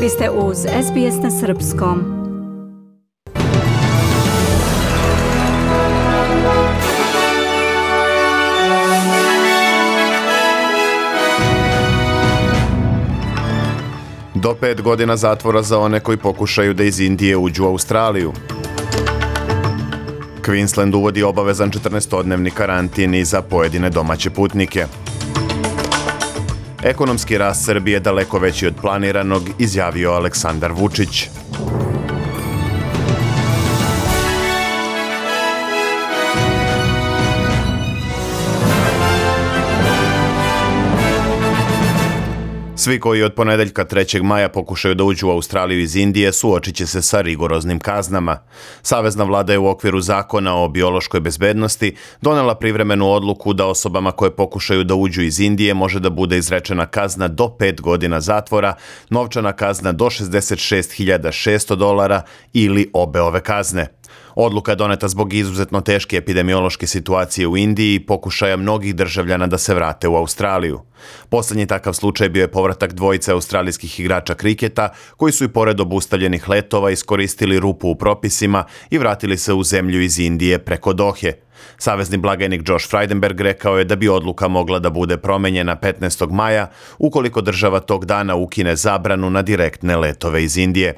Vi ste uz SBS na srpskom. Do 5 godina zatvora za one koji pokušaju da iz Indije uđu u Australiju. Queensland uvodi obavezan 14-dnevni karantin i za pojedine domaće putnike. Ekonomski rast Srbije daleko veći od planiranog, izjavio Aleksandar Vučić. Svi koji od ponedeljka 3. maja pokušaju da uđu u Australiju iz Indije suočit će se sa rigoroznim kaznama. Savezna vlada je u okviru zakona o biološkoj bezbednosti donela privremenu odluku da osobama koje pokušaju da uđu iz Indije može da bude izrečena kazna do 5 godina zatvora, novčana kazna do $66.600 ili obe ove kazne. Odluka je doneta zbog izuzetno teške epidemiološke situacije u Indiji i pokušaja mnogih državljana da se vrate u Australiju. Poslednji takav slučaj bio je povratak dvojice australijskih igrača kriketa koji su i pored obustavljenih letova iskoristili rupu u propisima i vratili se u zemlju iz Indije preko Dohe. Savezni blagajnik Josh Frydenberg rekao je da bi odluka mogla da bude promenjena 15. maja ukoliko država tog dana ukine zabranu na direktne letove iz Indije.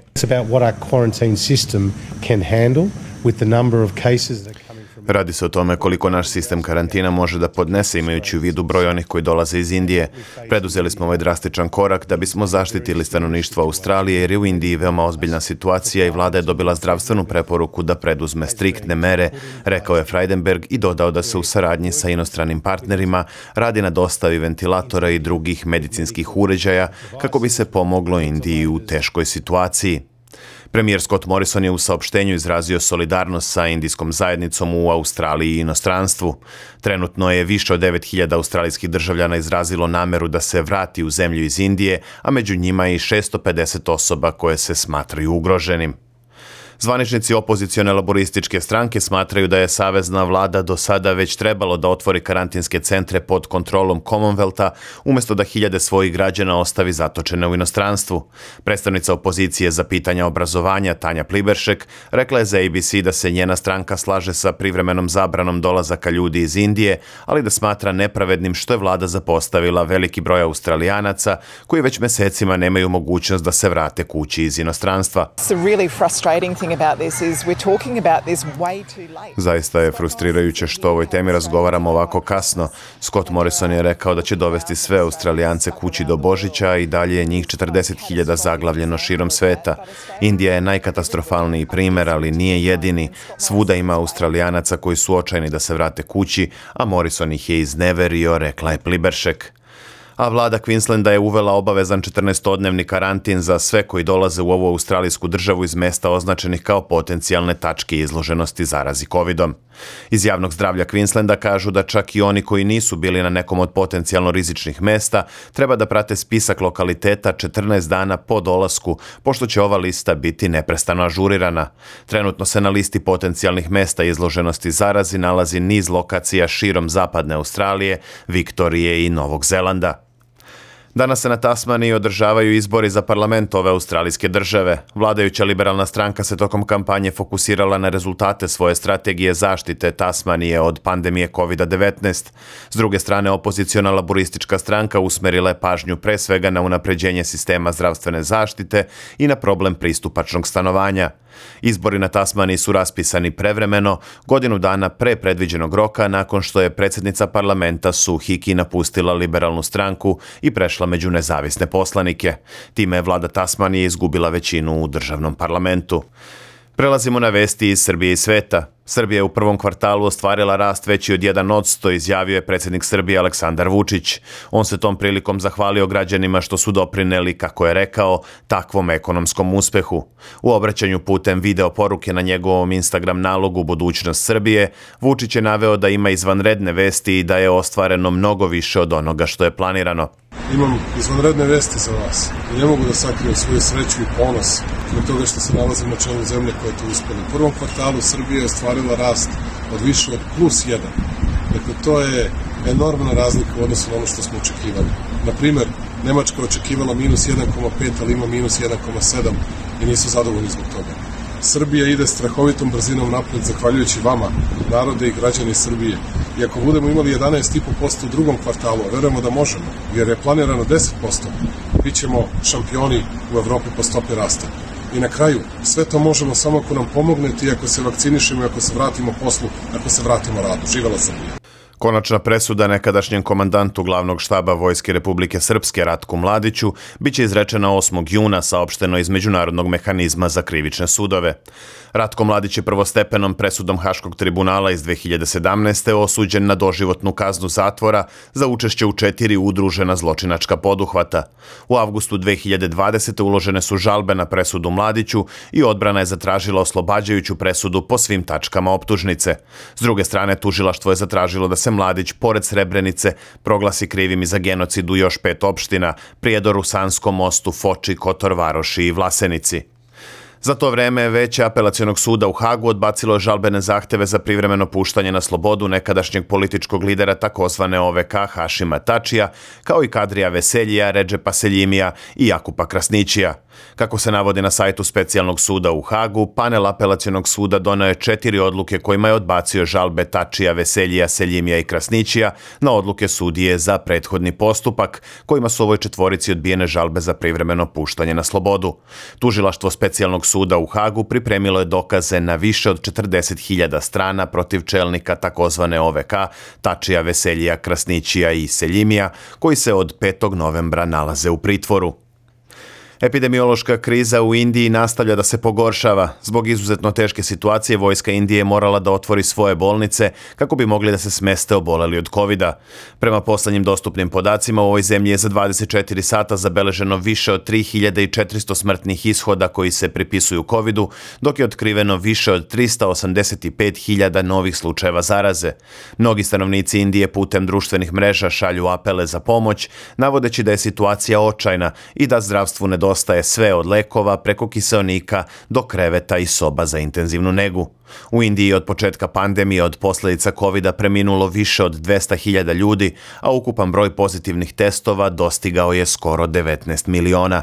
Radi se o tome koliko naš sistem karantina može da podnese imajući u vidu broj onih koji dolaze iz Indije. Preduzeli smo ovaj drastičan korak da bismo zaštitili stanovništvo Australije jer je u Indiji veoma ozbiljna situacija i vlada je dobila zdravstvenu preporuku da preduzme striktne mere, rekao je Frydenberg i dodao da se u saradnji sa inostranim partnerima radi na dostavi ventilatora i drugih medicinskih uređaja kako bi se pomoglo Indiji u teškoj situaciji. Premijer Scott Morrison je u saopštenju izrazio solidarnost sa indijskom zajednicom u Australiji i inostranstvu. Trenutno je više od 9.000 australijskih državljana izrazilo nameru da se vrati u zemlju iz Indije, a među njima i 650 osoba koje se smatraju ugroženim. Zvaničnici opozicione laborističke stranke smatraju da je savezna vlada do sada već trebalo da otvori karantinske centre pod kontrolom Commonwealtha umjesto da hiljade svojih građana ostavi zatočene u inostranstvu. Predstavnica opozicije za pitanja obrazovanja Tanja Pliberšek rekla je za ABC da se njena stranka slaže sa privremenom zabranom dolazaka ljudi iz Indije, ali da smatra nepravednim što je vlada zapostavila veliki broj Australijanaca koji već mesecima nemaju mogućnost da se vrate kući iz inostranstva. Zaista je frustrirajuće što o ovoj temi razgovaramo ovako kasno. Scott Morrison je rekao da će dovesti sve Australijance kući do Božića i dalje je njih 40.000 zaglavljeno širom sveta. Indija je najkatastrofalniji primer, ali nije jedini. Svuda ima Australijanaca koji su očajni da se vrate kući, a Morrison ih je izneverio, rekla je Pliberšek. A vlada Queenslanda je uvela obavezan 14-dnevni karantin za sve koji dolaze u ovu australijsku državu iz mesta označenih kao potencijalne tačke izloženosti zarazi COVID-om. Iz javnog zdravlja Queenslanda kažu da čak i oni koji nisu bili na nekom od potencijalno rizičnih mesta treba da prate spisak lokaliteta 14 dana po dolasku, pošto će ova lista biti neprestano ažurirana. Trenutno se na listi potencijalnih mesta izloženosti zarazi nalazi niz lokacija širom zapadne Australije, Viktorije i Novog Zelanda. Danas se na Tasmaniji održavaju izbori za parlament ove australijske države. Vladajuća liberalna stranka se tokom kampanje fokusirala na rezultate svoje strategije zaštite Tasmanije od pandemije COVID-19. S druge strane, opoziciona laboristička stranka usmerila je pažnju pre svega na unapređenje sistema zdravstvene zaštite i na problem pristupačnog stanovanja. Izbori na Tasmaniji su raspisani prevremeno, godinu dana pre predviđenog roka nakon što je predsjednica parlamenta Sue Hickey napustila liberalnu stranku i prešla među nezavisne poslanike. Time je vlada Tasmanije izgubila većinu u državnom parlamentu. Prelazimo na vesti iz Srbije i sveta. Srbija je u prvom kvartalu ostvarila rast veći od 1%, izjavio je predsjednik Srbije Aleksandar Vučić. On se tom prilikom zahvalio građanima što su doprineli, kako je rekao, takvom ekonomskom uspehu. U obraćanju putem video poruke na njegovom Instagram nalogu Budućnost Srbije, Vučić je naveo da ima izvanredne vesti i da je ostvareno mnogo više od onoga što je planirano. Imam izvanredne vesti za vas i ne mogu da sakrijem svoju sreću i ponos zbog toga što se nalazim na čelu zemlje koja je to uspela. U prvom kvartalu Srbija je ostvarila rast od više od +1. Dakle, to je enormna razlika u odnosu na ono što smo očekivali. Na primer, Nemačka očekivala minus 1,5, ali ima minus 1,7 i nisu zadovoljni zbog toga. Srbija ide strahovitom brzinom napred zahvaljujući vama, narode i građani Srbije. I ako budemo imali 11,5% u drugom kvartalu, a verujemo da možemo, jer je planirano 10%, bit ćemo šampioni u Evropi po stopi rasta. I na kraju, sve to možemo samo ako nam pomognete i ako se vakcinišemo i ako se vratimo poslu, ako se vratimo radu. Živela Srbija! Konačna presuda nekadašnjem komandantu glavnog štaba Vojske Republike Srpske Ratku Mladiću biće izrečena 8. juna, saopšteno iz Međunarodnog mehanizma za krivične sudove. Ratko Mladić je prvostepenom presudom Haškog tribunala iz 2017. osuđen na doživotnu kaznu zatvora za učešće u 4 udružena zločinačka poduhvata. U avgustu 2020. uložene su žalbe na presudu Mladiću i odbrana je zatražila oslobađajuću presudu po svim tačkama optužnice. S druge strane, tužilaštvo je zatražilo da se Mladić, pored Srebrenice, proglasi krivim i za genocid u još 5 opština: Prijedoru, Sanskom mostu, Foči, Kotor Varoši i Vlasenici. Za to vreme Veće apelacionog suda u Hagu odbacilo je žalbene zahteve za privremeno puštanje na slobodu nekadašnjeg političkog lidera takozvane OVK Hašima Tačija, kao i Kadrija Veseljija, Redžepa Seljimija i Jakupa Krasnićija. Kako se navodi na sajtu Specijalnog suda u Hagu, panel apelacionog suda doneo je 4 odluke kojima je odbacio žalbe Tačija, Veseljija, Seljimija i Krasnićija na odluke sudije za prethodni postupak, kojima su ovoj četvorici odbijene žalbe za privremeno puštanje na slobodu. Tužilaštvo Specijalnog suda u Hagu pripremilo je dokaze na više od 40.000 strana protiv čelnika takozvane OVK, Tačija, Veseljija, Krasnićija i Seljimija, koji se od 5. novembra nalaze u pritvoru. Epidemiološka kriza u Indiji nastavlja da se pogoršava. Zbog izuzetno teške situacije, vojska Indije je morala da otvori svoje bolnice kako bi mogli da se smeste oboleli od covida. Prema poslednjim dostupnim podacima, u ovoj zemlji je za 24 sata zabeleženo više od 3400 smrtnih ishoda koji se pripisuju covidu, dok je otkriveno više od 385.000 novih slučajeva zaraze. Mnogi stanovnici Indije putem društvenih mreža šalju apele za pomoć, navodeći da je situacija očajna i da zdravstvu nedostaje sve od lekova preko kiseonika do kreveta i soba za intenzivnu negu. U Indiji od početka pandemije od posljedica covida preminulo više od 200.000 ljudi, a ukupan broj pozitivnih testova dostigao je skoro 19 miliona.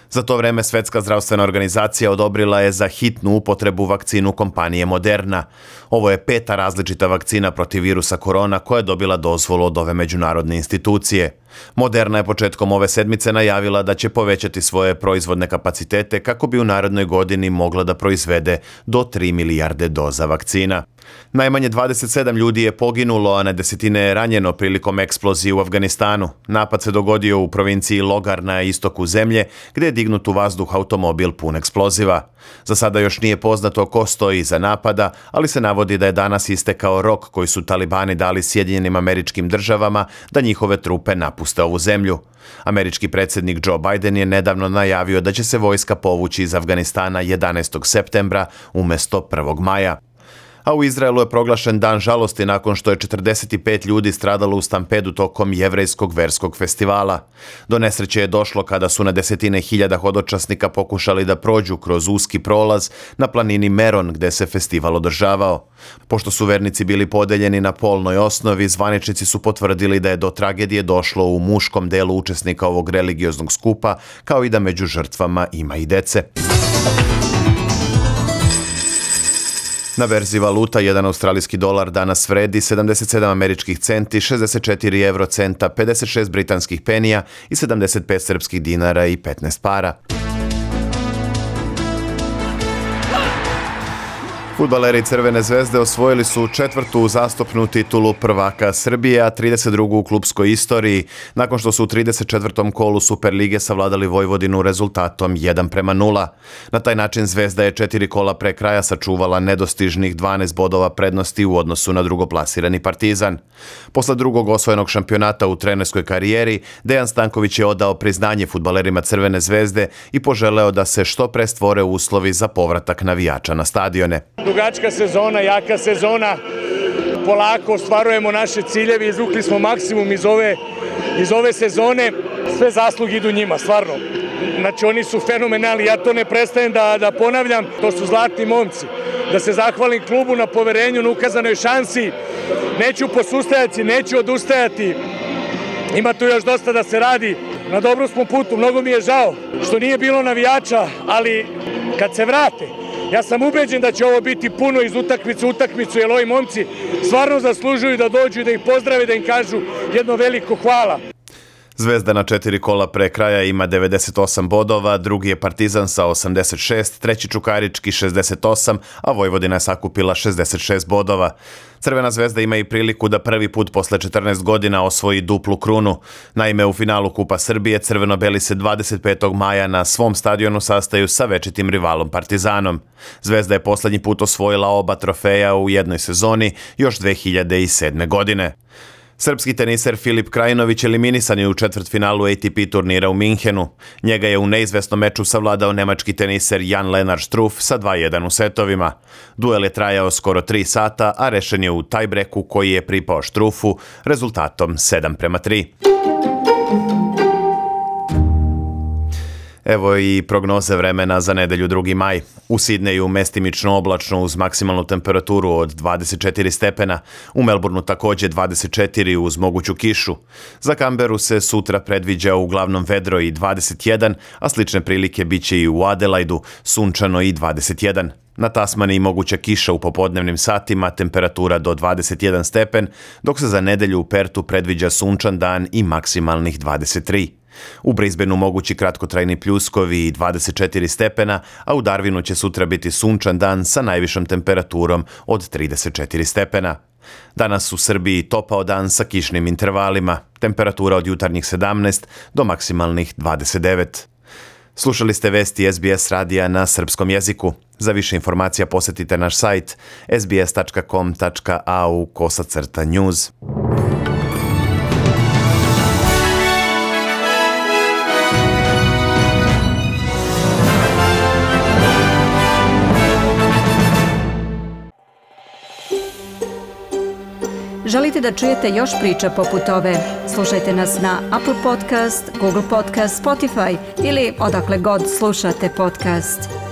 Za to vreme Svetska zdravstvena organizacija odobrila je za hitnu upotrebu vakcinu kompanije Moderna. Ovo je 5. različita vakcina protiv virusa korona koja je dobila dozvolu od ove međunarodne institucije. Moderna je početkom ove sedmice najavila da će povećati svoje proizvodne kapacitete kako bi u narednoj godini mogla da proizvede do 3 milijarde doza vakcina. Najmanje 27 ljudi je poginulo, a na desetine je ranjeno prilikom eksplozije u Afganistanu. Napad se dogodio u provinciji Logar na istoku zemlje, gdje je dignut u vazduh automobil pun eksploziva. Za sada još nije poznato ko stoji iza napada, ali se navodi da je danas istekao rok koji su talibani dali Sjedinjenim Američkim Državama da njihove trupe napuste ovu zemlju. Američki predsjednik Joe Biden je nedavno najavio da će se vojska povući iz Afganistana 11. septembra umjesto 1. maja. A u Izraelu je proglašen dan žalosti nakon što je 45 ljudi stradalo u stampedu tokom jevrejskog verskog festivala. Do nesreće je došlo kada su na desetine hiljada hodočasnika pokušali da prođu kroz uski prolaz na planini Meron gde se festival održavao. Pošto su vernici bili podeljeni na polnoj osnovi, zvaničnici su potvrdili da je do tragedije došlo u muškom delu učesnika ovog religioznog skupa, kao i da među žrtvama ima i dece. Na berzi valuta, jedan australijski dolar danas vredi 77 američkih centi, 64 eurocenta, 56 britanskih penija i 75 srpskih dinara i 15 para. Fudbaleri Crvene zvezde osvojili su 4. uzastopnu titulu prvaka Srbije, a 32. u klupskoj istoriji, nakon što su u 34. kolu Superlige savladali Vojvodinu rezultatom 1:0. Na taj način Zvezda je 4 kola pre kraja sačuvala nedostižnih 12 bodova prednosti u odnosu na drugoplasirani Partizan. Posle drugog osvojenog šampionata u trenerskoj karijeri, Dejan Stanković je odao priznanje fudbalerima Crvene zvezde i poželeo da se što pre stvore uslovi za povratak navijača na stadione. Dugačka sezona, jaka sezona, polako ostvarujemo naše ciljeve, izvukli smo maksimum iz ove sezone, sve zasluge idu njima, stvarno. Znači oni su fenomenalni, ja to ne prestajem da ponavljam, to su zlatni momci. Da se zahvalim klubu na poverenju, na ukazanoj šansi, neću posustajati, neću odustajati, ima tu još dosta da se radi. na dobrom smo putu, mnogo mi je žao što nije bilo navijača, ali kad se vrate, ja sam ubeđen da će ovo biti puno iz utakmice u utakmicu, jer ovi momci stvarno zaslužuju da dođu i da ih pozdrave, da im kažu jedno veliko hvala. Zvezda na 4 kola pre kraja ima 98 bodova, drugi je Partizan sa 86, treći Čukarički 68, a Vojvodina je sakupila 66 bodova. Crvena zvezda ima i priliku da prvi put posle 14 godina osvoji duplu krunu. Naime, u finalu Kupa Srbije crveno-beli se 25. maja na svom stadionu sastaju sa večitim rivalom Partizanom. Zvezda je poslednji put osvojila oba trofeja u jednoj sezoni još 2007. godine. Srpski teniser Filip Krajinović eliminisan je u četvrtfinalu ATP turnira u Minhenu. Njega je u neizvesnom meču savladao nemački teniser Jan-Lennard Struff sa 2:1 u setovima. Duel je trajao skoro 3 sata, a rešen je u tajbreku koji je pripao Struffu rezultatom 7:3. Evo i prognoze vremena za nedelju 2. maj. U Sidneju mestimično oblačno uz maksimalnu temperaturu od 24 stepena. U Melbourneu takođe 24 uz moguću kišu. Za Canberu se sutra predviđa uglavnom vedro i 21, a slične prilike biće i u Adelaidu, sunčano i 21. Na Tasmaniji moguća kiša u popodnevnim satima, temperatura do 21 stepen, dok se za nedelju u Pertu predviđa sunčan dan i maksimalnih 23. U Brisbaneu mogući kratkotrajni pljuskovi i 24 stepena, a u Darwinu će sutra biti sunčan dan sa najvišom temperaturom od 34 stepena. Danas u Srbiji topao dan sa kišnim intervalima, temperatura od jutarnjih 17 do maksimalnih 29. Slušali ste vesti SBS radija na srpskom jeziku. Za više informacija posetite naš sajt sbs.com.au/news. Želite da čujete još priča poput ove? Slušajte nas na Apple Podcast, Google Podcast, Spotify ili odakle god slušate podcast.